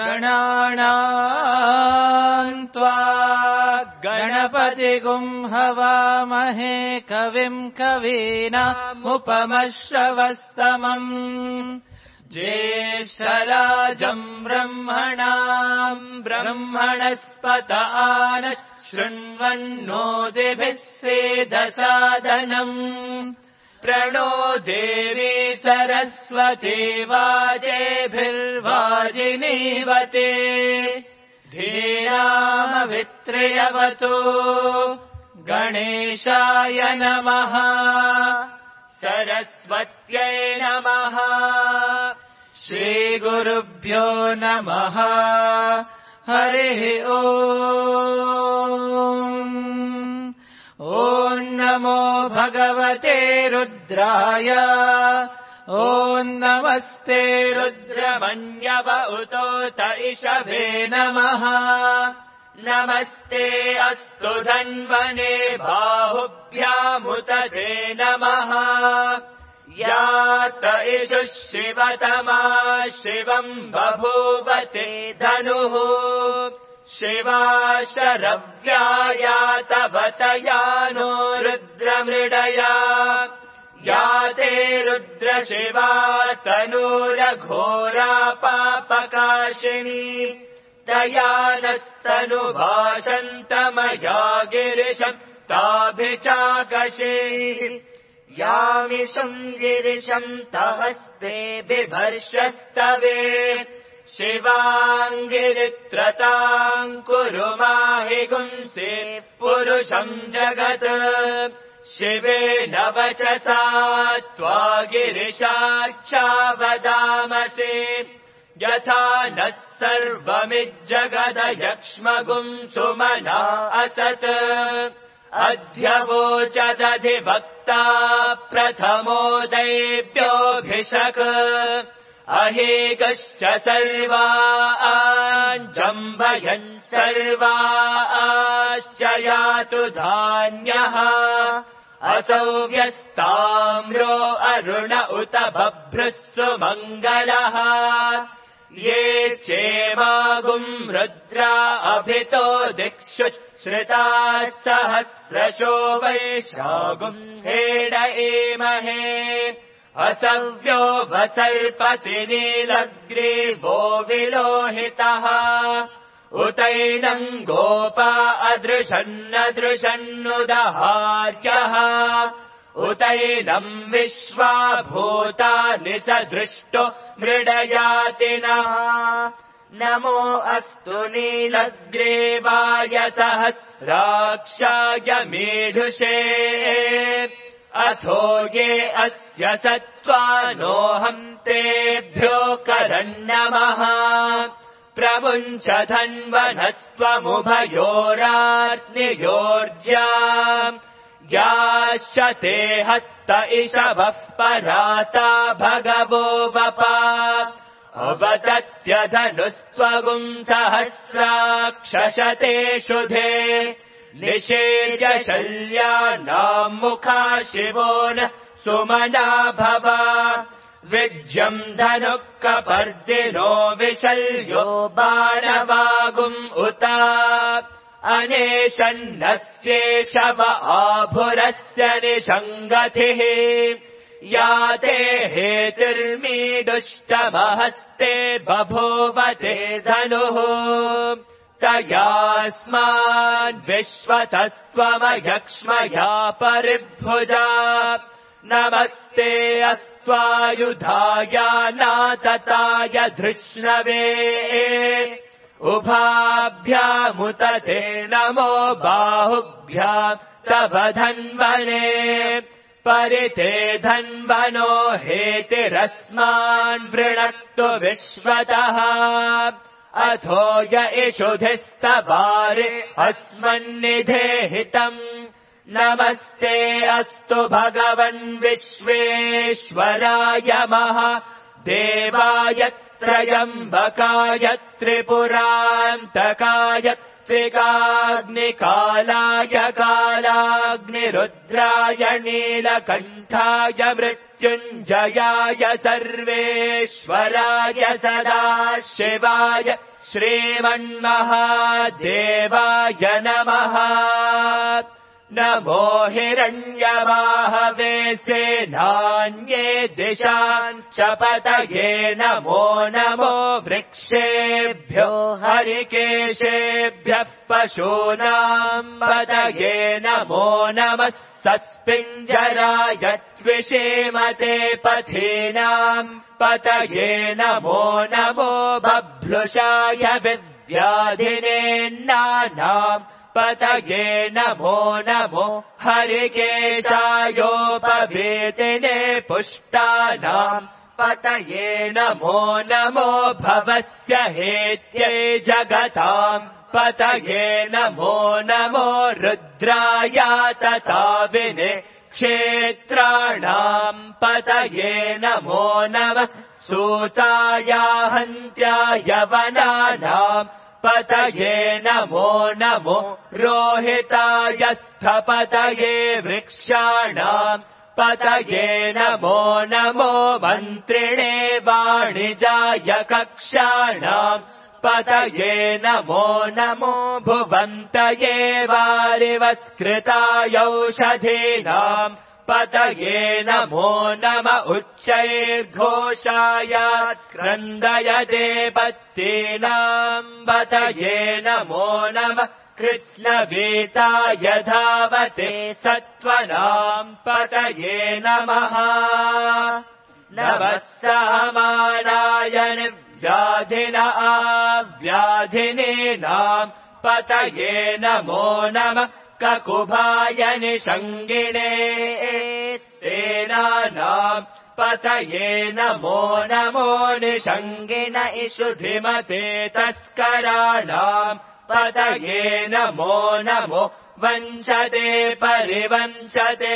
गणानाम् त्वा गणपतिगुं हवामहे कविम् कवीनामुपमश्रवस्तमम् ज्येष्ठराजम् ब्रह्मणाम् ब्रह्मणस्पत आनः शृण्वन्नोतिभिः सेदसादनम् प्रणो देवी सरस्वती वाजेभिर्वाजिनीवते धीरामवित्र्यवतो गणेशाय नमः सरस्वत्यै नमः श्रीगुरुभ्यो नमः हरिः ॐ नमो भगवते रुद्राय ॐ नमस्ते रुद्रमन्यव उतोत इषभे नमः नमस्ते अस्तु धन्वने बाहुभ्यामुत ते नमः यात इषुः शिवतमा शिवम् बभूवते धनुः शिवा शरव्यायातवतयानो रुद्रमृडया याते रुद्रशिवा तनूरघोरा पापकाशिनी तया नस्तनुभाषन्तमया गिरिशम् ताभिचाकशैः यामिषम् गिरिशम् तहस्ते बिभर्षस्तवे शिवाङ्गिरित्रताम् कुरु माहि गुंसे पुरुषम् जगत् शिवेन वचसा त्वा गिरिशाच्छावदामसे यथा नः सर्वमिज्जगदयक्ष्मगुं सुमना असत् अध्यवोचदधिभक्ता प्रथमोदैभ्योऽभिषक् अहेकश्च सर्वाञ्जम्भयन् सर्वाश्च यातु धान्यः असौ व्यस्ताम्रो अरुण उत बभ्रुः सुमङ्गलः ये चेमागुम् रुद्रा अभितो दिक्षु श्रिताः सहस्रशो वैशागुम् हेड एमहे असव्यो वसर्पति नीलग्रीवो विलोहितः उतैनम् गोपा अदृशन्नदृशन्नुदहार्यः उतैनम् विश्वा भूतानि सदृष्टो मृडयातिनः नमो अस्तु नीलग्रीवाय सहस्राक्षाय मेढुषे अथो ये अस्य सत्त्वानोऽहम् तेभ्यो करन्नमः प्रमुञ्च धन्वनस्त्वमुभयोरार्नियोर्ज्या याश्च ते हस्त इषवः पराता भगवो वपा अवतत्यधनुस्त्वगुम् सहस्राक्षशते शुधे निषेव्य शल्यानाम् मुखा शिवो न सुमना भव विज्यम् धनुः कपर्दिनो विशल्यो बाणवागुम् उत अनेशन्नस्येषव आभुरस्य निषङ्गतिः याते हेतिर्मीडुष्टमहस्ते बभूवते धनुः तयास्मान् विश्वतस्त्वमयक्ष्मया परिभुजा नमस्ते अस्त्वायुधाय नातताय धृष्णवे उभाभ्यामुत ते नमो बाहुभ्याम् तव धन्वने परिते धन्वनो हेतिरस्मान् वृणक्तु विश्वतः अथो य इषुधिस्तवारे अस्मन्निधेहितम् नमस्ते अस्तु भगवन् विश्वेश्वराय महादेवाय त्र्यम्बकाय त्रिपुरान्तकाय सात्विकाग्निकालाय कालाग्निरुद्राय नीलकण्ठाय मृत्युञ्जयाय सर्वेश्वराय सदाशिवाय श्रीमन्महादेवाय नमः। नमो हिरण्यवाहवे सेनान्ये दिशाञ्च पतये नमो नमो वृक्षेभ्यो हरिकेशेभ्यः पशूनाम् पतये नमो नमः सस्पिञ्जराय त्विषीमते पथीनाम् पतये नमो नमो बभ्लुषाय विव्याधिनेन्नानाम् पतये नमो नमो हरिकेशायोपवेतिने पुष्टानाम् पतये नमो नमो भवस्य हेत्यै जगताम् पतये नमो नमो रुद्राय तथा विने क्षेत्राणाम् पतये नमो नमः सूताय हन्त्याय वनानाम् पतये नमो नमो रोहिताय स्थपतये वृक्षाणाम् पतये नमो नमो मन्त्रिणे वाणिजाय कक्षाणाम् पतये नमो नमो भुवन्तये वारिवस्कृताय औषधीनाम् पतये नमो नम उच्चैर्घोषाय क्रन्दयते पत्तीनाम् पतये नमो नमः कृष्णवीताय धावते सत्त्वनाम् पतये नमः। नमः सामानाय व्याधिन आव्याधिनीनाम् पतये नमो नमः ककुभाय निषङ्गिणे सेनानाम् पतये नमो नमो निषङ्गिन इषुधिमते तस्कराणाम् पतये नमो नमो वञ्चते परिवञ्चते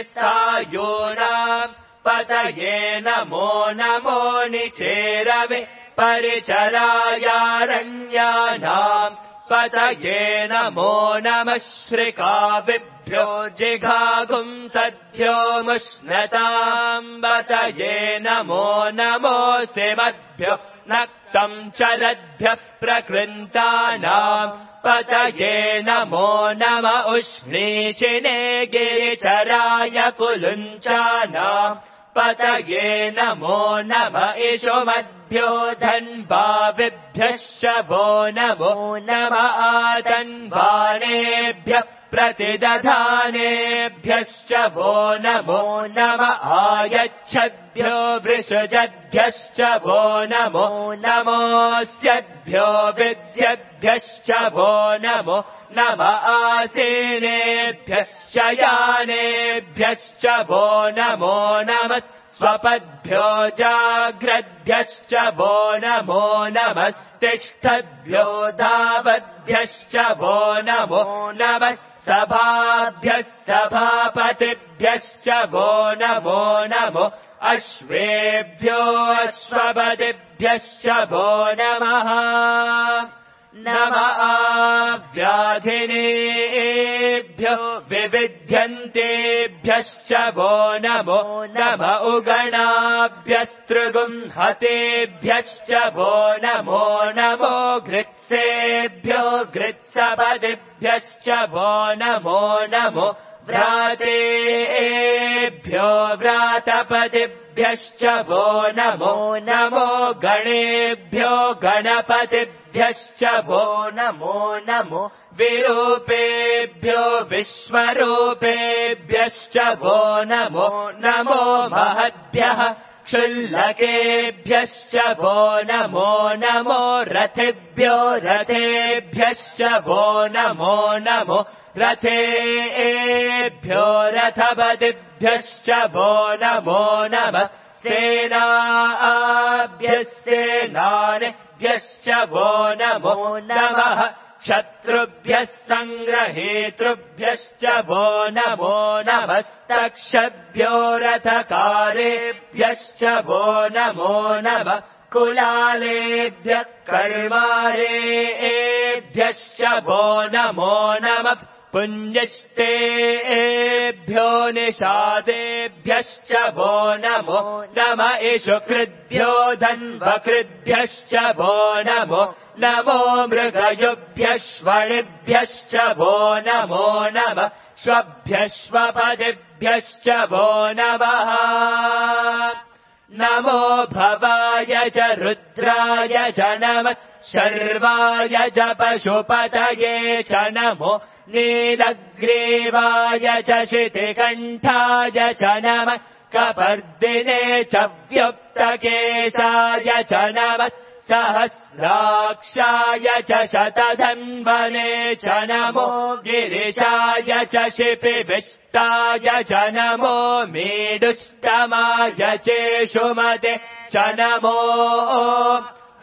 स्थायूनाम् पतये नमो नमो निचेरवे परिचरायारण्यानाम् पतये नमो नमः श्रिकाविभ्यो जिघागुंसद्भ्यो मुष्णताम् पतये नमो नमो सिमद्भ्यो नक्तम् चरद्भ्यः प्रकृन्तानाम् पतये नमो नम उष्णीशिने गिरिचराय कुलुञ्चानाम् पतये नमो नम इषुमद्भ्यो धन्वाविभ्यश्च वो नमो नम आतन्वानेभ्यः प्रतिदधानेभ्यश्च वो नमो नम आयच्छद्भ्यो वृषजद्भ्यश्च वो नमो नमोऽस्यद्भ्यो विद्यद्भ्यश्च वो नमो नम आसीनेभ्यश्च यानेभ्यश्च वो नमो नमः स्वपद्भ्यो जाग्रद्भ्यश्च वो नमो नमस्तिष्ठद्भ्यो धावद्भ्यश्च वो नमो नमः सभाभ्यः सभापतिभ्यश्च वो नमो नमो अश्वेभ्यो अश्वपतिभ्यश्च वो नमः। नम आव्याधिनेभ्यो विविध्यन्तेभ्यश्च वो नमो नम उगणाभ्यस्त्रिगुंहतेभ्यश्च वो नमो नमो घृत्सेभ्यो घृत्सपतिभ्यश्च वो नमो नमो व्रातेभ्यो व्रातपतिभ्यश्च वो नमो नमो गणेभ्यो गणपतिभ्यश्च वो नमो नमो विरूपेभ्यो विश्वरूपेभ्यश्च वो नमो नमो महद्भ्यः क्षुल्लकेभ्यश्च वो नमो नमो रथेभ्यो रथेभ्यश्च वो नमो नमो रथेभ्यो रथपतिभ्यश्च वो नमो नमः सेनाभ्यः सेनानेभ्यश्च वो नमो नमः शत्रुभ्यः सङ्ग्रहेतृभ्यश्च वो नमो नमस्तक्षभ्यो रथकारेभ्यश्च वो नमो नमः कुलालेभ्यः कर्मारेभ्यश्च वो नमो नमः पुण्यस्तेभ्यो निषादेभ्यश्च वो नमो नम इषु कृद्भ्यो धन्वकृद्भ्यश्च वो नमो नमो मृगयुभ्यश्वणिभ्यश्च वो नमो नमः श्वभ्यश्वपदिभ्यश्च वो नमः नमो भवाय च रुद्राय च नमः शर्वाय च पशुपतये च नमो नीलग्रीवाय च शितिकण्ठाय च नमः कपर्दिने च व्युक्तकेशाय च नमः सहस्राक्षाय च शतधन्वने च नमो गिरिशाय च शिपिविष्टाय च नमो मेडुष्टमाय चेषुमते च नमो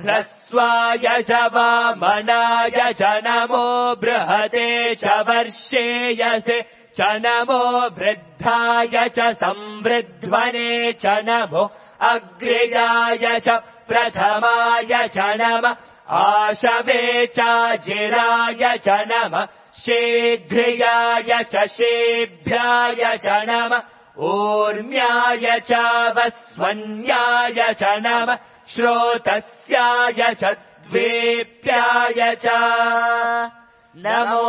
ह्रस्वाय च वामनाय च नमो बृहते च वर्षेयसे च नमो वृद्धाय च संवृध्वने च नमो अग्र्याय च प्रथमाय च नमः आशवे च जिराय च नमः शीघ्रियाय च शीभ्याय च नमः ऊर्म्याय च वस्वन्याय च नमः श्रोतस्याय च द्वेप्याय च नमो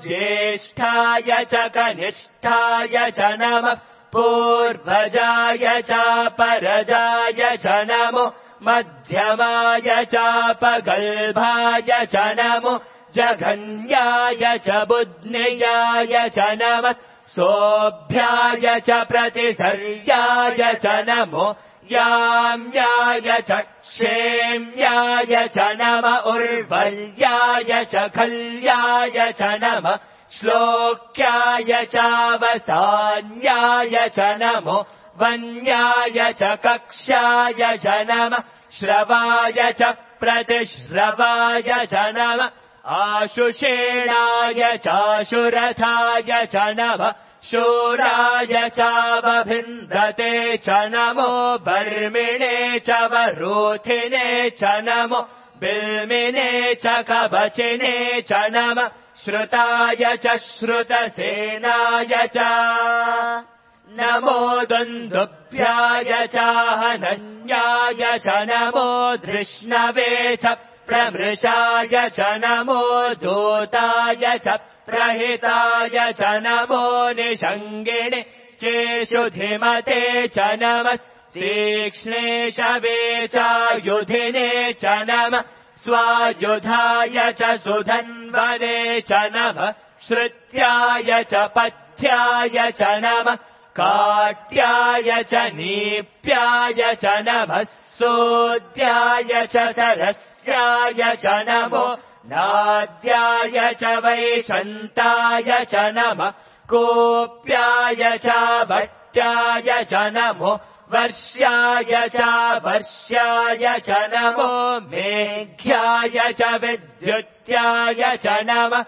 ज्येष्ठाय च कनिष्ठाय च नमः पूर्वजाय च परजाय च नमो मध्यमाय च पगल्भाय च नमो जघन्याय च बुध्नियाय च नमः सोऽभ्याय च प्रतिसर्याय च नमो याम्याय च क्षेम्याय च नम उर्वल्याय च खल्याय च नमः श्लोक्याय चावसान्याय च नमो वन्याय च कक्ष्याय च नमः श्रवाय च प्रतिश्रवाय च नमः आशुषेणाय चाशुरथाय च नमः शूराय चावभिन्दते च नमो बर्मिणे च वरोथिने च नमो बिल्मिने च कवचिने च नमः श्रुताय च श्रुतसेनाय च नमो दुन्दुभ्याय च हनन्याय च नमो धृष्णवे च प्रमृषाय च नमो दूताय च प्रहिताय च नमो निषङ्गिणे चेषुधिमते च नमः तीक्ष्णेशवे च युधिने च नमः स्वायुधाय च सुधन्वने च नमः श्रुत्याय च पथ्याय च नमः काट्याय च नीप्याय च नमः सोद्याय च सरस्याय च नमो नाद्याय च वैशन्ताय च नमः कोप्याय च भट्टाय च नमो वर्ष्याय च वर्ष्याय च नमो मेघ्याय च विद्युत्याय च नमः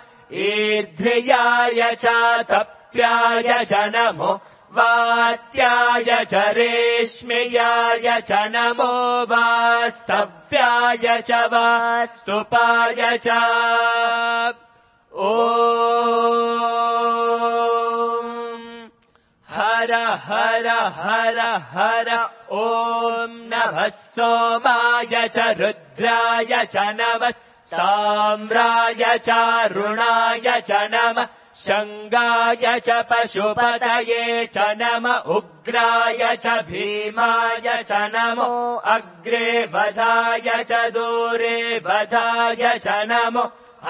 ईर्ध्याय च तप्याय च नमो वात्याय च रेश्म्याय च नमो वास्तव्याय च वास्तुपाय च ॐ हर हर हर हर ॐ नमः सोमाय च रुद्राय च नमः साम्राय च रुणाय च नमः शङ्गाय च पशुपतये च नम उग्राय च भीमाय च नमो अग्रे वधाय च दूरे वधाय च नमो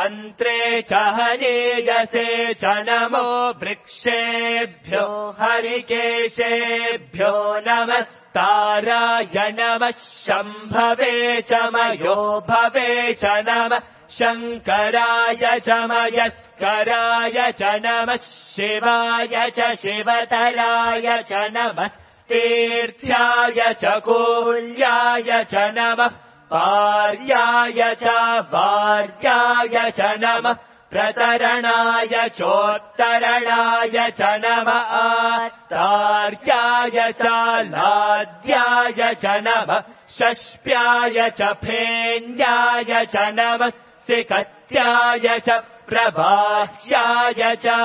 अन्त्रे च हनीयसे च नमो वृक्षेभ्यो हरिकेशेभ्यो नमस्ताराय नमः शम्भवे च मयो भवे च नमः शङ्कराय च मयस्कराय च नमः शिवाय च शिवतराय च नमः तीर्थ्याय च कूल्याय च नमः पार्याय च वार्याय च नमः प्रतरणाय चोत्तरणाय च नमः आर्याय च लाद्याय च नमः षष्प्याय च फेन्याय च नमः सिकत्याय च प्रबाह्याय च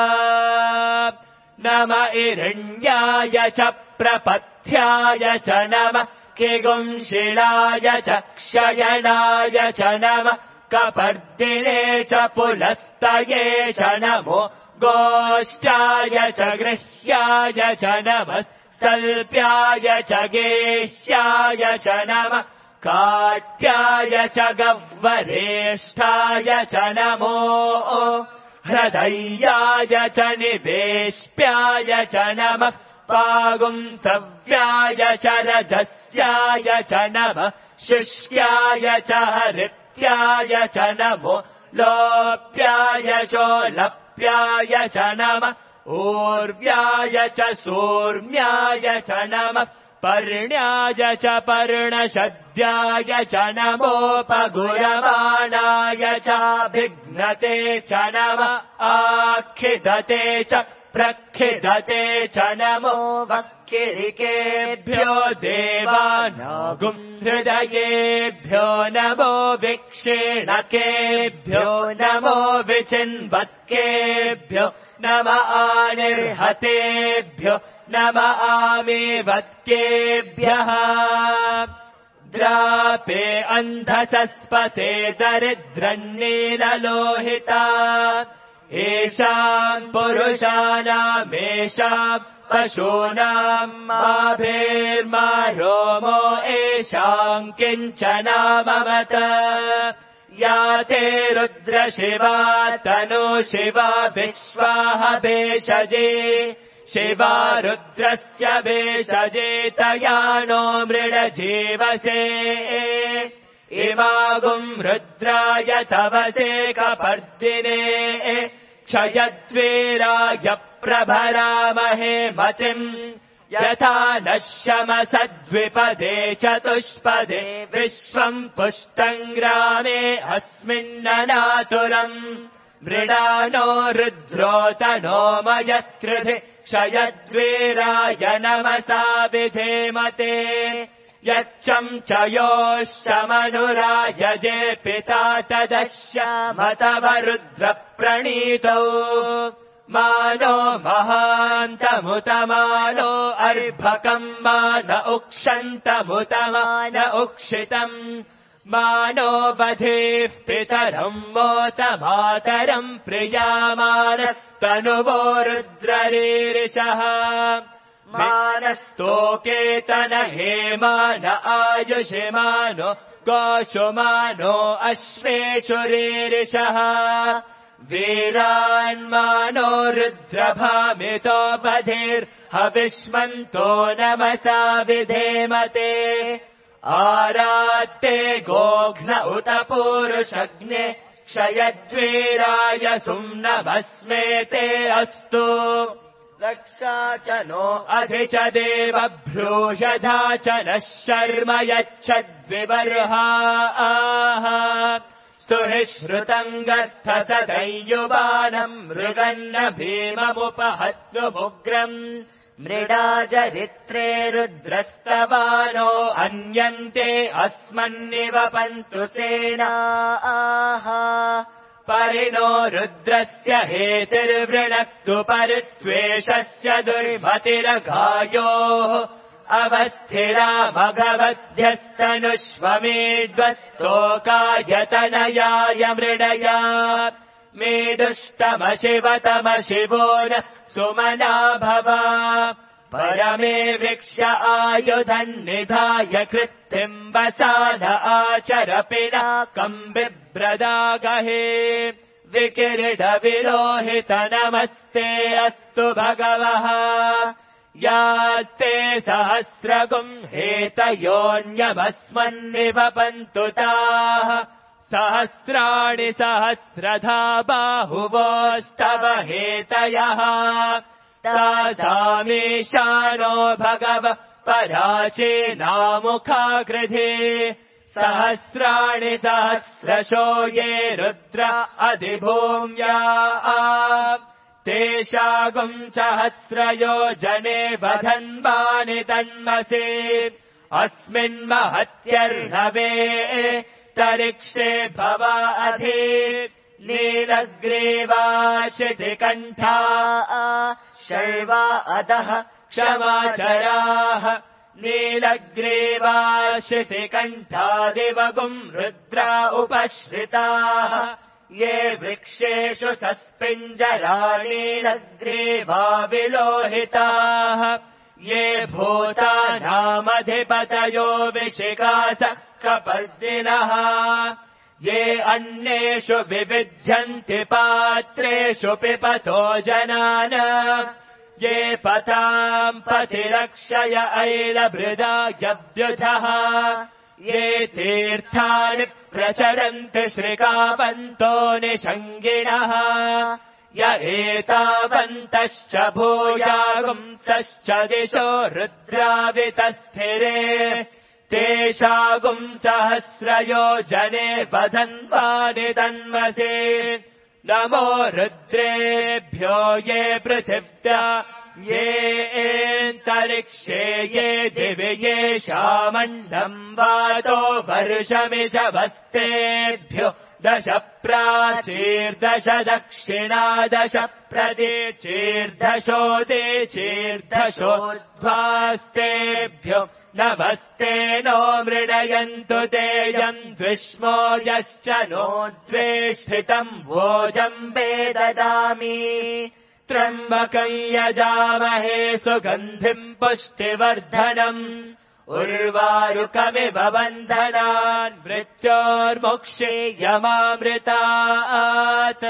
नम इरण्याय च प्रपथ्याय च नमः किगुंशिलाय च क्षयणाय च नमः कपर्दिने च पुलस्तये च नमो गोष्ठाय च गृह्याय च नमः सल्प्याय च गेह्याय च नमः काट्याय च गह्वरेष्ठाय च नमो हृदयाय च निवेश्प्याय च नमः पागुंसव्याय च रजस्याय च नमः शुष्याय च हरित्याय च नमो लोप्याय चोलप्याय च नमः ऊर्व्याय च सूर्म्याय च नमः पर्ण्याय च पर्णशद्याय च नमोपगुरमाणाय चाभिघ्नते च नमः आखिदते च प्रखिदते च नमो वक्किरिकेभ्यो देवानागुं हृदयेभ्यो नमो विक्षेणकेभ्यो नमो विचिन्वत्केभ्यो नम आनिर्हतेभ्यो नम आमीवत्केभ्यः द्रापे अन्धसस्पते दरिद्रन्नीललोहिता येषाम् पुरुषाणामेषाम् पशूनाम् माभेर्मा रोमो येषाम् किञ्चनाममत या ते रुद्रशिवा तनु शिवा विश्वाह भेषजे शिवा रुद्रस्य भेषजे तया नो मृडजीवसे इमागुम् रुद्राय तवसे कपर्दिने क्षयद्वीराय प्रभरामहे मतिम् यथा नश्यमसद्विपदे चतुष्पदे विश्वम् पुष्टम् ग्रामे अस्मिन्ननातुरम् मृडानो रुद्रोतनो मयस्कृधि क्षयद्वीराय नमसा विधेमते यच्चम् च योश्चमनुरायजे पिता तदश्यामतव रुद्रप्रणीतौ मानो महान्तमुतमानो अर्भकम् मान उक्षन्तमुतमान उक्षितम् मानो बधेः पितरम् मोतमातरम् प्रियामानस्तनुवो रुद्ररीरिषः मानस्तोकेतन हेमान आयुषिमानो गोषुमानो अश्वेषुरीरिषः वीरान्मानो रुद्रभामितो बधिर्हविष्मन्तो नमसा विधेमते आरात्ते गोघ्न उत पूरुषग्ने क्षयद्वीराय सुम्नमस्मेते अस्तु रक्षा च नो अधि च देव भ्रूषधा च नः शर्म यच्छद्विबर्हाः स्तुहि श्रुतम् गत्थ सदैयुवानम् मृगन्न भीममुपहत्नुमुग्रम् मृडाजरित्रे रुद्रस्तवानो अन्यन्ते अस्मन्निवपन्तु सेनाः परिणो रुद्रस्य हेतिर्वृणक्तु परित्वेषस्य दुर्मतिरघायोः अवस्थिरा भगवद्भ्यस्तनुष्वमेध्वस्तोकायतनयाय मृडया मेदुष्टमशिवतमशिवो न सुमना भवा परमे वृक्ष आयुधन्निधाय कृत्तिम् वसान आचरपिनाकम् बिभ्रदागहे विकिरीटविलोहित नमस्ते अस्तु भगवः यास्ते सहस्रगुम् हेतयोऽन्यमस्मन्निवपन्तु ताः सहस्राणि सहस्रधा बाहुवोस्तव हेतयः तासामीशानो भगवः पराचीनामुखाकृधे सहस्राणि सहस्रशो ये रुद्र अधिभूम्या तेषागुम् सहस्रयोजने बधन्वानि तन्मसि अस्मिन्महत्यर्णवे तरिक्षे भव अधि नीलग्रीवाशितिकण्ठा शर्वा अधः क्षमाचराः नीलग्रीवाशितिकण्ठादिवगुम् रुद्रा उपश्रिताः ये वृक्षेषु सस्पिञ्जरा नीलग्रीवा विलोहिताः ये भूतानामधिपतयो विशिखास कपर्दिनः ये अन्येषु विविध्यन्ति पात्रेषु पिपतो जनान ये पताम् पथिरक्षय ऐलभृदा यव्युधः ये तीर्थानि प्रचरन्ति श्रीकापन्तो निषङ्गिणः य एतावन्तश्च भूयागुंसश्च दिशो रुद्रावितस्थिरे तेषागुम् सहस्रयोजने बधन्वानि तन्मसि नमो रुद्रेभ्यो ये पृथिव्या ये एन्तरिक्षे ये दिवि येषामण्डम् वातो वर्षमिषवस्तेभ्यो 10 प्राचीर्दश दक्षिणादश प्रतीचीर्दशोदिचीर्दशोध्वास्तेभ्यो नमस्ते नो मृडयन्तु तेयम् द्विष्मो यश्च नो द्वेष्टितम् भोजम्बे ददामि त्र्यम्बकम् यजामहे सुगन्धिम् पुष्टिवर्धनम् उर्वारुकमिव बन्धनान् मृत्योर्मुक्षीयमामृतात्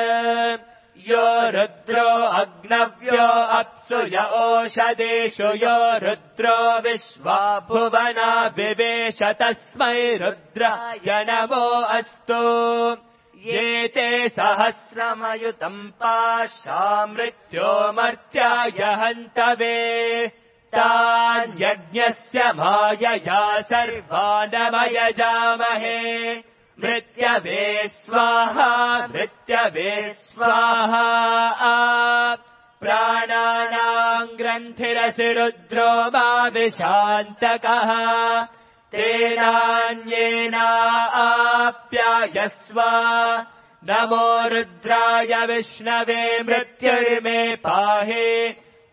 यो रुद्रो अग्नव्यो अप्सु य ओषधेषु यो रुद्रो विश्वा भुवना विवेश तस्मै रुद्राय नमो अस्तु ये ते सहस्रमयुतम् पाशा मृत्यो मर्त्याय हन्तवे तान् यज्ञस्य मायया सर्वानमयजामहे मृत्यवे स्वाहा मृत्यवे स्वाहा प्राणानाम् ग्रन्थिरसि रुद्रो मा विशान्तकः तेनान्येनाप्यायस्व नमो रुद्राय विष्णवे मृत्युर्मे पाहि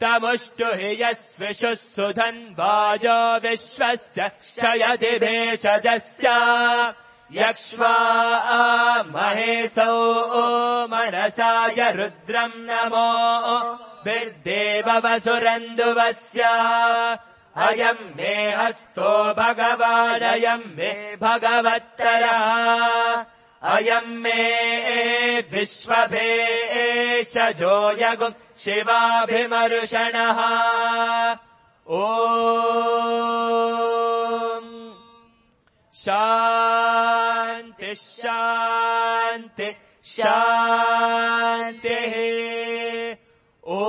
तमुष्टु हि यस्विषुः सुधन्वायो विश्वस्य क्षयति भेषजस्य यक्ष्वा महेशौ मनसाय रुद्रम् नमो बिर्देववसुरन्दुवस्य अयम् मे हस्तो भगवानयम् मे भगवत्तरः अयम् मे विश्वभेषजो यगुम् शिवाभिमर्षणः ॐ शान्ति शान्ति शान्तिः ॐ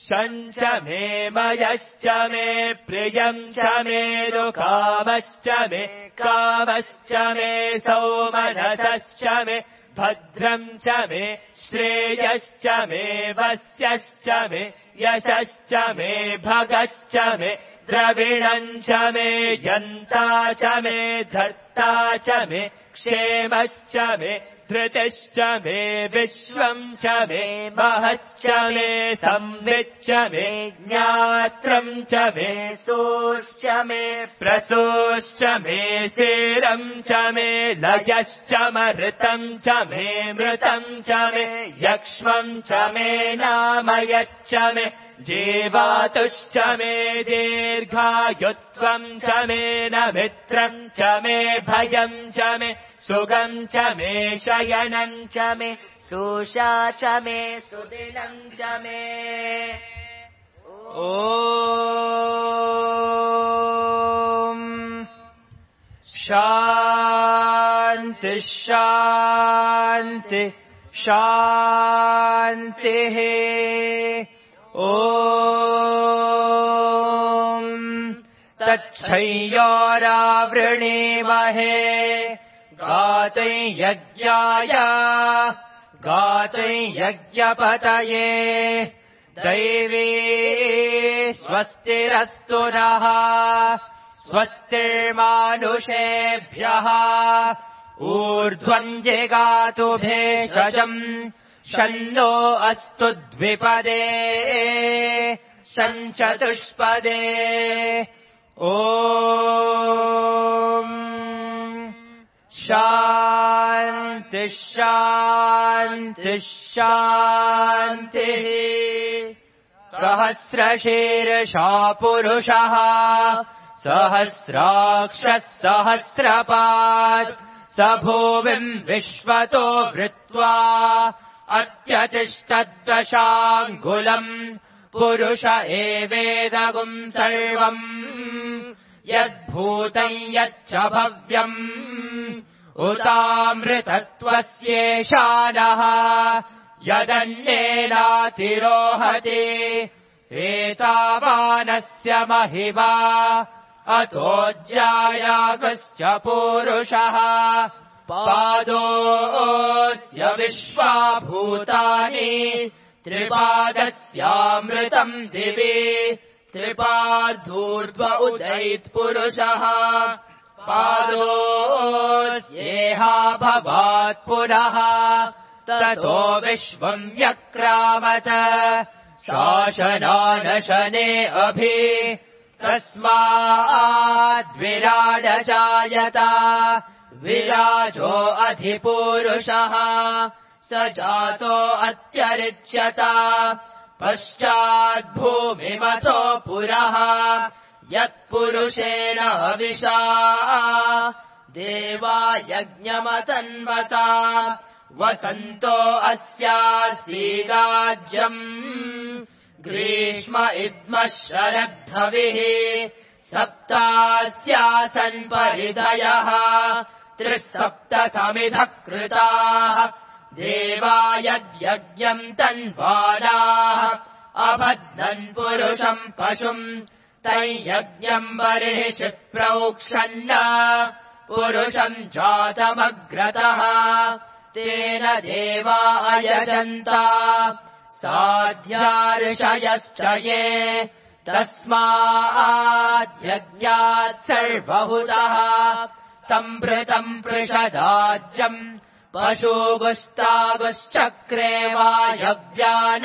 शञ्च मे मयश्च मे प्रियम् च मे दुःखामश्च मे कामश्च मे सौमनसश्च मे भद्रम् च मे श्रेयश्च मे वस्यश्च मे यशश्च मे भगश्च मे द्रविणम् च मे यन्ता च मे धर्ता च मे क्षेमश्च मे धृतिश्च मे विश्वम् च मे महश्च मे संविच्च मे ज्ञात्रम् च मे सोश्च मे प्रसोश्च मे सेरम् च मे लयश्च मृतम् च मे मृतम् च मे यक्ष्मम् च मे नामयच्च मे जीवातुश्च मे दीर्घायुत्वम् च मे न मित्रम् च मे भयम् च मे सुगम् च मे शयनम् च मे सुषा च मे सुदिनम् च मे ॐ शान्ति शान्ति शान्तिः ॐ तच्छय्योरावृणीमहे गातुं यज्ञाय गातुं यज्ञपतये दैवी स्वस्तिरस्तु नः स्वस्तिर्मानुषेभ्यः ऊर्ध्वं जिगातु भेषजम् शन्नो अस्तु द्विपदे शञ्चतुष्पदे ॐ शान्ति शान्ति शान्तिः सहस्रशीर्षा पुरुषः सहस्राक्षः सहस्रपात् स भूमिम् विश्वतो वृत्वा अत्यतिष्ठद्दशाङ्गुलम् पुरुष एवेदगुम् सर्वम् यद्भूतम् यच्च भव्यम् उतामृतत्वस्येषानः यदन्येनातिरोहति एतावानस्य महिमा अतोऽज्यायागश्च पूरुषः पादोऽस्य विश्वाभूतानि त्रिपादस्यामृतम् दिवि त्रिपादूर्ध्व उदैत्पुरुषः पादोऽस्येहा भवात् पुनः ततो विश्वम् व्यक्रामत शासनानशने अभि तस्माद्विराड जायत विराजो अधिपूरुषः स जातो अत्यरिच्यत पश्चाद्भूमिमतो पुरः यत्पुरुषेण हविषा देवा यज्ञमतन्वता वसन्तो अस्यासीदाज्यम् ग्रीष्म इद्मः शरद्धविः सप्तास्यासन् परिदयः 37 समिधः कृताः देवा यद्यज्ञम् तन्वानाः अबध्नन् पुरुषम् पशुम् तैयज्ञम् बर्हिषि प्रोक्षन्न पुरुषम् जातमग्रतः तेन देवा अयजन्ता साध्यार्षयश्च ये तस्माद्यज्ञात् सर्वहुतः सम्भृतम् पृषदाज्यम् पशुगुस्तागुश्चक्रे वायव्यान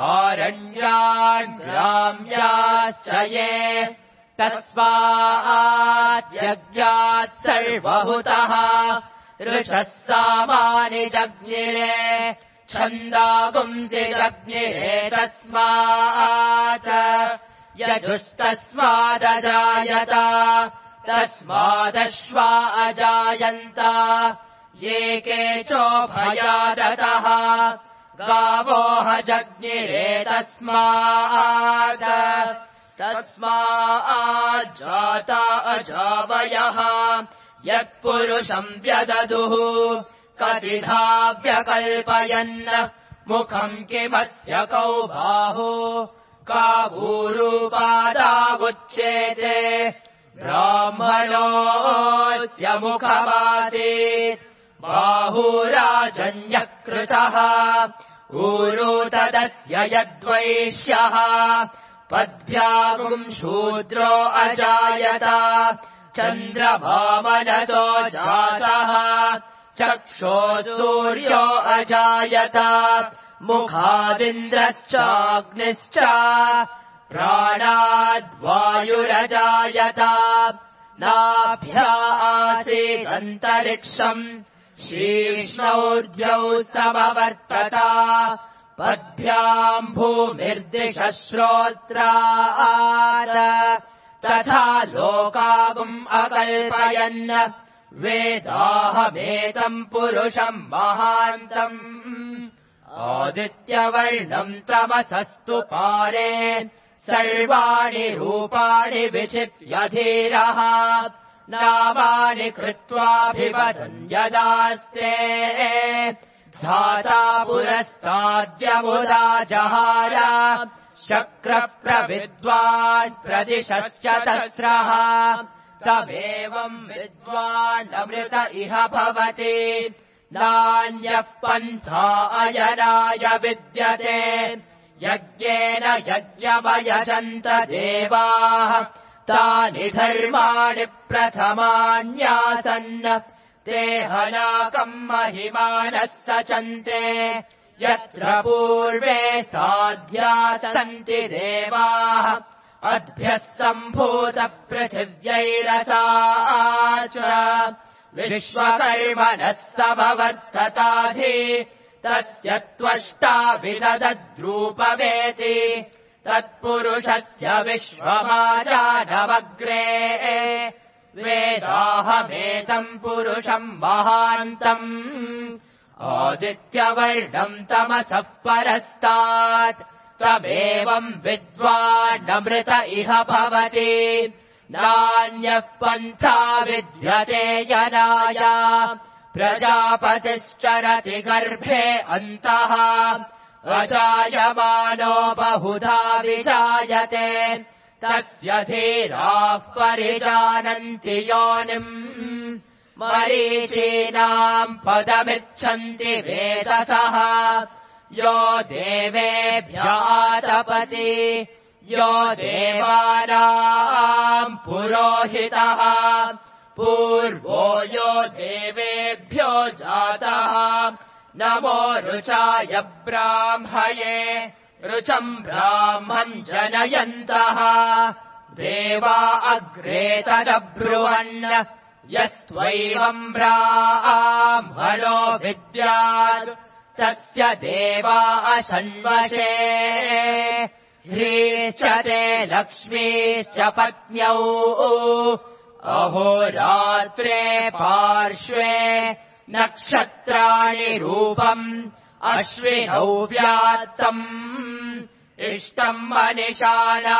आरण्यान् ग्राम्याश्च ये तस्माद्यज्ञात् सर्वहुतः ऋषः सामानि जज्ञिरे छन्दागुंसि जज्ञिरे तस्मात् यजुस्तस्मादजायत तस्मादश्वा अजायन्त ये केचोभयादतः गावोह जज्ञिरे तस्माज्जाता अजावयः यत्पुरुषम् व्यददुः कतिधा व्यकल्पयन् मुखम् किमस्य कौ बाहु कावूरूपादावुच्येते ब्राह्मणोऽस्य मुखमासीत् बाहुराजन्यकृतः ऊरू तदस्य यद्वैश्यः पद्भ्यागुम् शूद्रो अजायत चन्द्रभामनसो जातः चक्षो सूर्यो अजायत मुखादिन्द्रश्चाग्निश्च प्राणाद्वायुरजायत नाभ्या आसीदन्तरिक्षम् शीर्ष्णौर्ध्यौ समवर्तत पद्भ्याम् भूमिर्दिशः श्रोत्रात् तथा लोकागुम् अकल्पयन् वेदाहमेतम् पुरुषम् महान्तम् आदित्यवर्णम् तमसस्तु पारे सर्वाणि रूपाणि विचित्य धीरः नामानि कृत्वाभिवदन् यदास्ते धाता पुरस्ताद्यमुदा जहार शक्रप्रविद्वान् प्रदिशश्चतस्रः तमेवम् विद्वानमृत इह भवति नान्यः पन्था अयनाय विद्यते यज्ञेन यज्ञमयजन्त देवाः तानि धर्माणि प्रथमान्यासन् ते हनाकम् महिमानः सचन्ते यत्र पूर्वे साध्या सन्ति देवाः अद्भ्यः सम्भूतपृथिव्यैरसा च विश्वकर्मणः समवर्तताधि तस्य त्वष्टा विदद्रूपमेति तत्पुरुषस्य विश्वमाजानमग्रे वेदाहमेतम् पुरुषम् महान्तम् आदित्यवर्णम् तमसः परस्तात् तमेवम् विद्वानमृत इह भवति नान्यः पन्था विद्यते यनाय प्रजापतिश्चरति गर्भे अन्तः अजायमानो बहुधा विजायते तस्य धीराः परिजानन्ति योनिम् मरीचीनाम् पदमिच्छन्ति वेदसः यो देवेभ्यातपति यो देवानाम् पुरोहितः पूर्वो यो देवेभ्यो जातः नमो रुचाय ब्राह्मये रुचम् ब्राह्मम् जनयन्तः देवा अग्रे तदब्रुवन् यस्त्वैवम् ब्राह्मणो विद्यात् तस्य देवा अशन्वशे ह्रीश्च ते लक्ष्मीश्च पत्न्यौ अहोरात्रे पार्श्वे नक्षत्राणि रूपम् अश्विनौ व्यात्तम् इष्टम् मनिषाना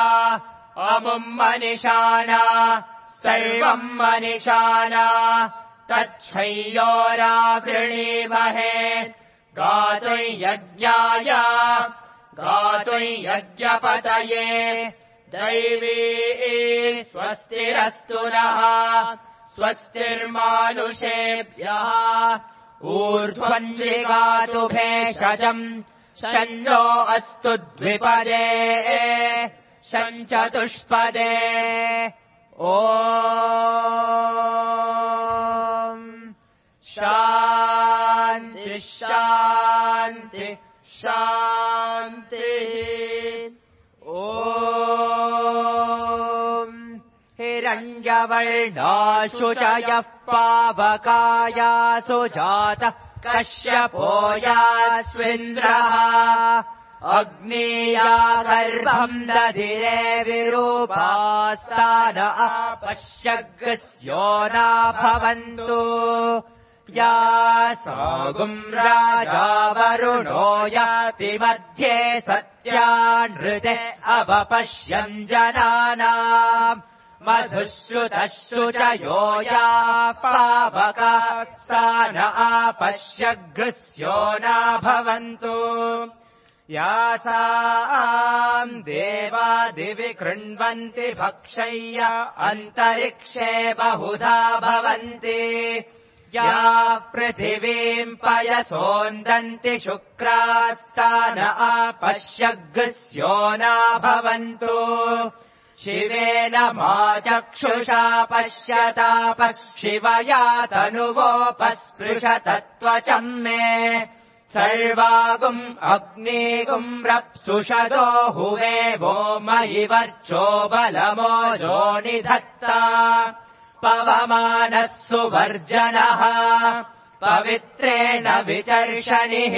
अमुम् मनिषाना सर्वम् मनिषाना तच्छय्योरावृणीमहे गातुम् यज्ञाय गातुम् यज्ञपतये दैवी स्वस्तिरस्तु नः स्वस्तिर्मानुषेभ्यः ऊर्ध्वम् जिगातु भेषजम् शन्नो अस्तु द्विपदे शञ्चतुष्पदे ॐ शान्ति शान्ति शान्तिः ॐ हिरण्यवर्णाशु च यः पावकायासु जातः कश्यपो यास्विन्द्रः अग्नीया गर्भम् दधिरे विरूपास्तान अपश्यग्स्यो न भवन्तु या सागुम् राजा वरुणो याति मध्ये सत्यानृते अवपश्यन् जनानाम् मधुश्रुतश्रुचयो या पावकाः सा न आपश्यग्स्यो न भवन्तु यासाम् देवा दिवि कृण्वन्ति भक्षय्य अन्तरिक्षे बहुधा भवन्ति या पृथिवीम् पयसोन्दन्ति शुक्रास्तान आपश्यग्स्यो न भवन्तु शिवेन मा चक्षुषा पश्यतापशिवया तनुवोपस्पृशतत्त्वचम् मे सर्वागुम् अग्निगुम् रप्सुषदो हुवे वो मयि वर्चो बलमोजो निधत्ता पवमानः सुवर्जनः पवित्रेण विचर्षणिः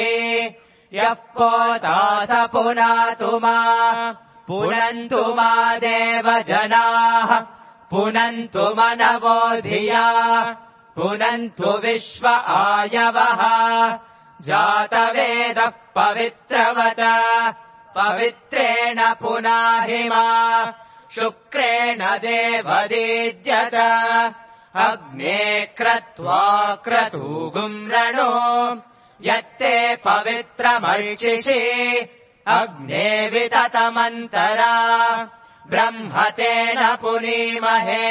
यः पोता स पुनातु मा पुनन्तु मा देवजनाः पुनन्तु मनवो धिया पुनन्तु विश्व आयवः जातवेदः पवित्रवत पवित्रेण पुनाहि मा शुक्रेण देवदीद्यत अग्ने क्रत्वा क्रतूगुम् रणो यत्ते पवित्रमर्चिषि अग्ने विततमन्तरा ब्रह्मतेन पुनीमहे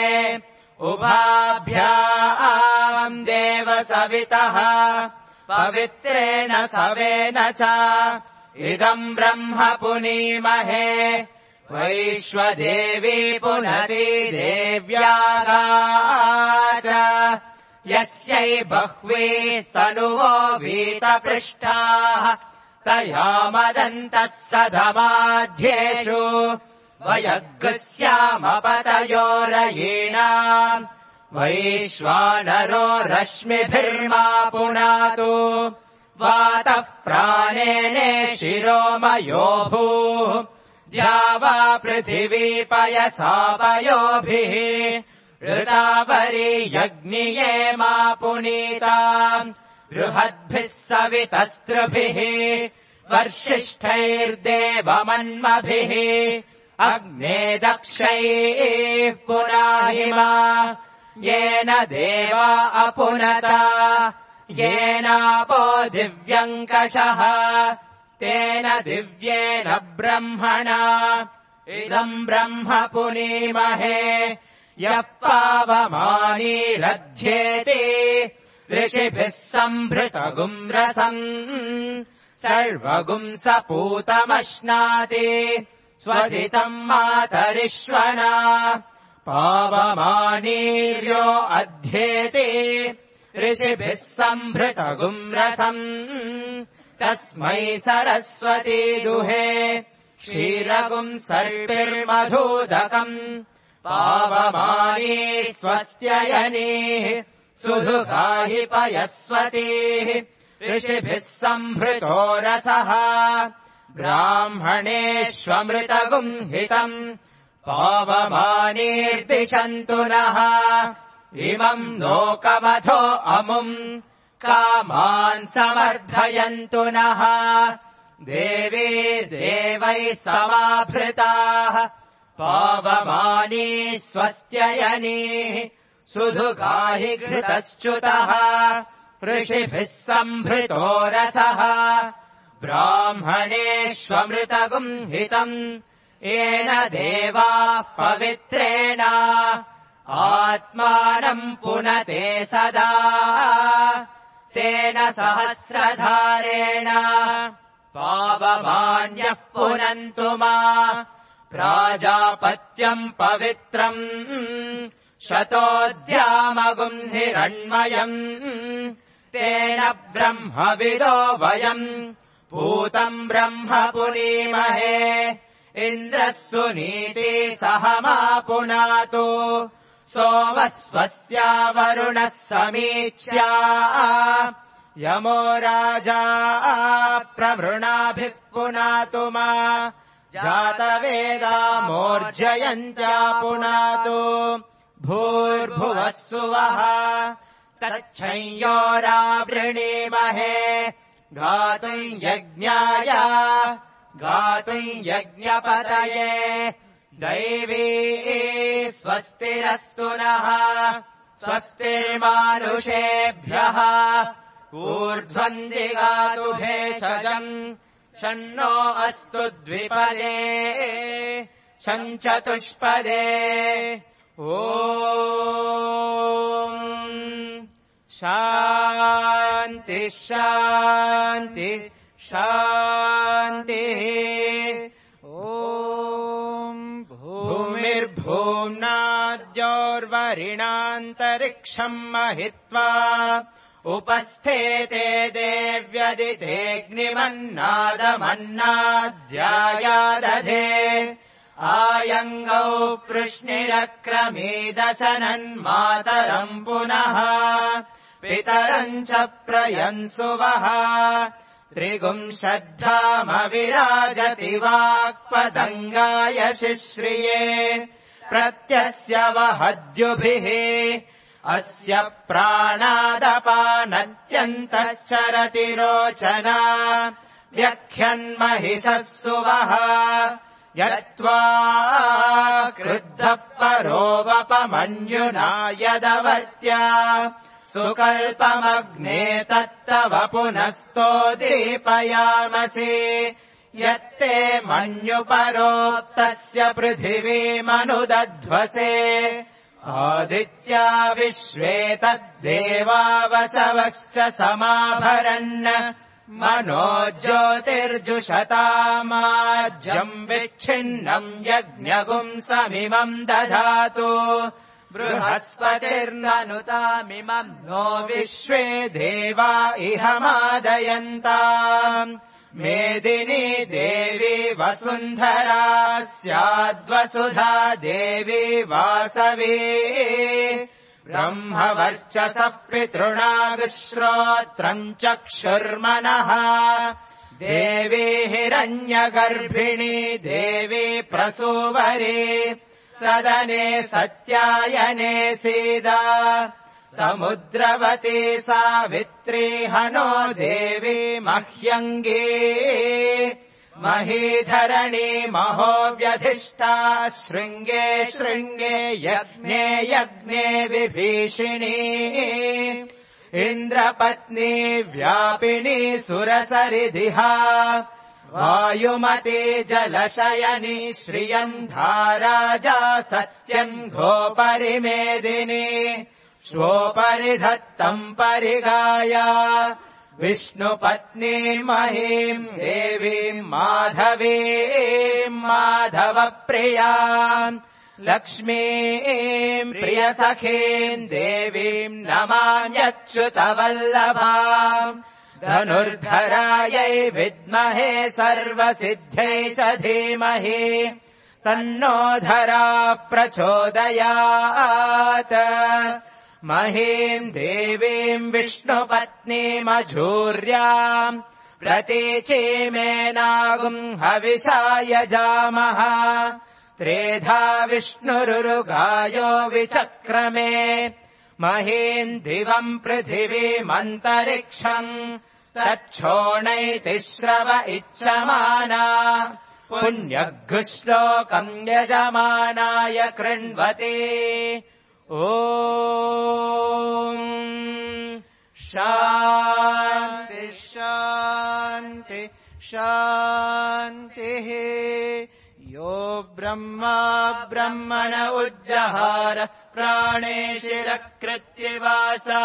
उभाभ्याम् देव सवितः पवित्रेण सवेन च इदम् ब्रह्म पुनीमहे वैश्वदेवी पुनरी देव्यागाच यस्यै बह्वी स्तनुवो वीतपृष्ठाः तया मदन्तः सधमाध्येषु वयग्स्यामपतयोरयीणाम् वैश्वानरो रश्मिभिर्मा पुनातु वातः प्राणेने शिरोमयो भूः द्यावा पृथिवी पयसापयोभिः ऋतावरी यज्ञिये मा पुनीताम् बृहद्भिः सवितस्त्रुभिः वर्षिष्ठैर्देवमन्मभिः अग्ने दक्षैः पुनाहिमा येन देवा अपुनता येनापो दिव्यङ्कषः तेन दिव्येन ब्रह्मणा इदम् ब्रह्म पुनीमहे यः पावमानीरध्येति ऋषिभिः सम्भृतगुम् रसम् सर्वगुम् सपूतमश्नाति स्वदितम् मातरिश्वना पावमानीर्यो अध्येति ऋषिभिः सम्भृतगुम् रसम् तस्मै सरस्वती दुहे क्षीरगुम् सर्पिर्मधूदकम् पावमानी स्वस्त्ययनीः सुधुगाहि पयस्वतीः ऋषिभिः सम्भृतो रसः ब्राह्मणेष्वमृतगुम् हितम् पावमानीर्दिशन्तु नः इमम् लोकमथो अमुम् कामान् समर्थयन्तु नः देवीर्देवैः समाभृताः पावमानी स्वस्त्ययनीः सुधुगाहि घृतश्च्युतः ऋषिभिः सम्भृतो रसः ब्राह्मणेष्वमृतगुम् हितम् येन देवाः पवित्रेण आत्मानम् पुनते सदा तेन सहस्रधारेण पावमान्यः पुनन्तु मा प्राजापत्यम् पवित्रम् शतोऽध्यामगुम् हिरण्मयम् तेन ब्रह्मविदो वयम् पूतम् ब्रह्म पुनीमहे इन्द्रः सुनीति सह मा पुनातु सोमः स्वस्या वरुणः समीच्या यमो राजा प्रवृणाभिः पुनातु मा जातवेदा मोर्जयन्त्या पुनातु भूर्भुवः सुवः तच्छंयोरावृणीमहे गातुम् यज्ञाय गातुम् यज्ञपतये दैवी स्वस्तिरस्तु नः स्वस्तिर्मानुषेभ्यः ऊर्ध्वम् जिगातु भेषजम् शन्नो अस्तु द्विपदे शञ्चतुष्पदे ॐ शान्ति शान्ति शान्तिः ॐ भूमिर्भूम्नाद्योर्वरिणान्तरिक्षम् महित्वा उपस्थेते देव्यदितेऽग्निमन्नादमन्नाद्यायादधे आयङ्गौ पृश्निरक्रमीदशनन्मातरम् पुनः पितरम् च प्रयन्सुवः त्रिगुंशद्धामविराजति वाक्पतङ्गाय शिश्रिये प्रत्यस्य वहद्युभिः अस्य प्राणादपानत्यन्तश्चरति रोचना व्यख्यन्महिषः सुवः यत्त्वा क्रुद्धः परोवपमन्युना यदवर्त्या सुकल्पमग्ने तत्तव पुनस्तो दीपयामसि यत्ते मन्युपरोक्तस्य पृथिवीमनुदध्वसे आदित्या विश्वे तद्देवा वसवश्च समाभरन् मनो ज्योतिर्जुषतामाज्यम् विच्छिन्नम् यज्ञगुंसमिमम् दधातु बृहस्पतिर्ननुतामिमम् नो विश्वे देवा इह मादयन्ताम् मेदिनी देवी वसुन्धरा स्याद्वसुधा देवी वासवी ब्रह्मवर्चसः पितृणागश्रोत्रम् चक्षुर्मनः देवी हिरण्यगर्भिणी देवी प्रसूवरी सदने सत्यायने सीदा समुद्रवती सावित्री हनो देवी मह्यङ्गी महीधरणी महो व्यधिष्ठा शृङ्गे शृङ्गे यज्ञे यज्ञे विभीषिणी इन्द्रपत्नी व्यापिनी सुरसरिदिहा वायुमती जलशयनी श्रियन्धाराजा सत्यम् घोपरिमेदिनी श्वोपरिधत्तम् परिगाया विष्णुपत्नी महीम् देवीम् माधवीम् माधवप्रियाम् लक्ष्मीम् प्रियसखीम् देवीम् नमाम्यच्युतवल्लभाम् धनुर्धरायै विद्महे सर्वसिद्ध्यै च धीमहि तन्नो धराः प्रचोदयात् महीम् देवीम् विष्णुपत्नीमझूर्याम् प्रतीचीमेनागुम् हविषाय जामः त्रेधा विष्णुरुगायो विचक्रमे महीम् दिवम् पृथिवीमन्तरिक्षम् तच्छोणैतिश्रव इच्छमाना पुण्यघुश्लोकम् यजमानाय कृण्वते ॐ शान्ति शान्ति शान्तिः यो ब्रह्मा ब्रह्मण उज्जहार प्राणेशिरकृत्यवासा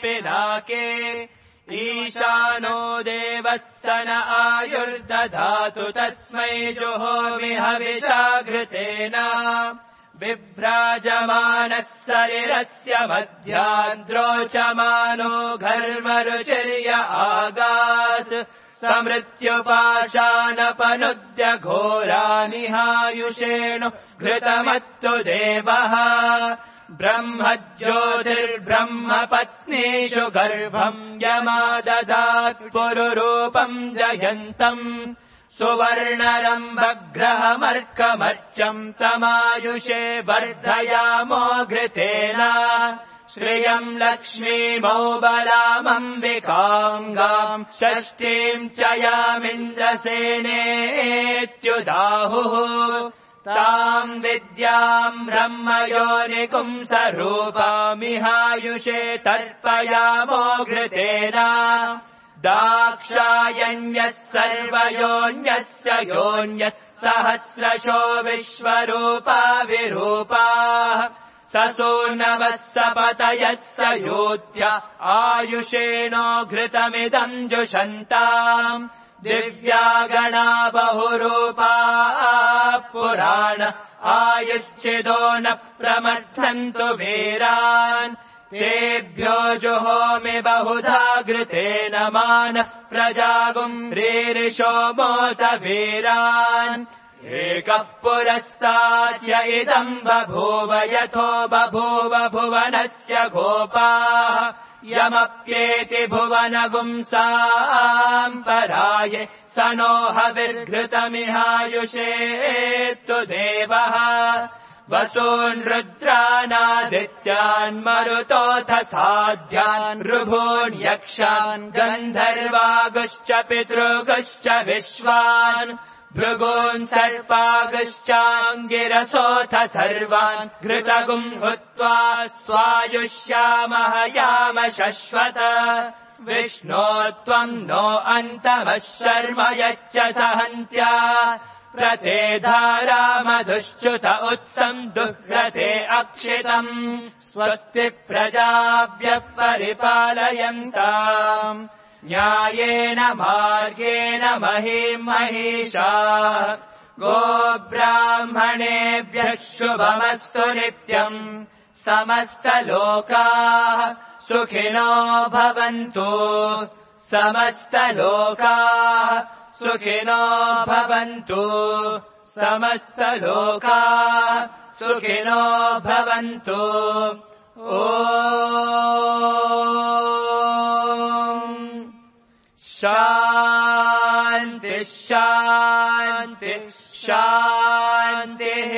पिनाके ईशानो देवः सन आयुर्दधातु तस्मै जुहोमि हविषाघृतेन बिभ्राजमानः शरीरस्य मध्यान्द्रोचमानो घर्मरुचिर्य आगात् समृत्युपाशानपनुद्य घोरानिहायुषेणु घृतमत्तु देवः ब्रह्म ज्योतिर्ब्रह्मपत्नीषु गर्भम् यमाददात् पुरुरूपम् जयन्तम् सुवर्णरम्भग्रहमर्कमर्चम् तमायुषे वर्धयामो घृतेन श्रियम् लक्ष्मीमौबलामम्बिकाङ्गाम् षष्ठीम् च यामिन्द्रसेनेत्युदाहुः ताम् विद्याम् ब्रह्मयोनिपुंसरूपामिहायुषे तर्पयामो घृतेन दाक्षायण्यः सर्वयोन्यस्य योन्यः सहस्रशो विश्वरूपा विरूपाः ससूनवः सपतयः स योध्या आयुषेणो घृतमिदम् जुषन्ताम् दिव्या गणा बहुरूपा पुराण आयुश्चिदो न प्रमर्थन्तु वीरान् तेभ्यो जुहोमि बहुधा घृतेन मानः प्रजागुम् रीरिषो मोत वीरान् एकः पुरस्ताद्य इदम् बभूव यथो बभूव भुवनस्य गोपाः यमप्येति भुवनगुंसाम् पराये स नो हविर्घृतमिहायुषेत्तु देवः वसून् रुद्रानादित्यान् मरुतोऽथ साध्यान् ऋभून् यक्षान् गन्धर्वागुश्च पितृगुश्च विश्वान् भृगून् सर्पागुश्चाङ्गिरसोऽथ सर्वान् घृतगुम् हुत्वा स्वायुष्यामः याम शश्वत विष्णो त्वम् नो अन्तमः शर्म यच्च सहन्त्या प्रते धारा मधुश्च्युत उत्सम् दुह्रते अक्षितम् स्वस्ति प्रजाभ्यः परिपालयन्ताम् न्यायेन मार्गेण महीम् महिषा गोब्राह्मणेभ्यः शुभमस्तु नित्यम् समस्तलोकाः सुखिनो भवन्तु समस्तलोकाः सुखिनो भवन्तु समस्तलोकाः सुखिनो भवन्तु ॐ शान्ति शान्ति शान्तिः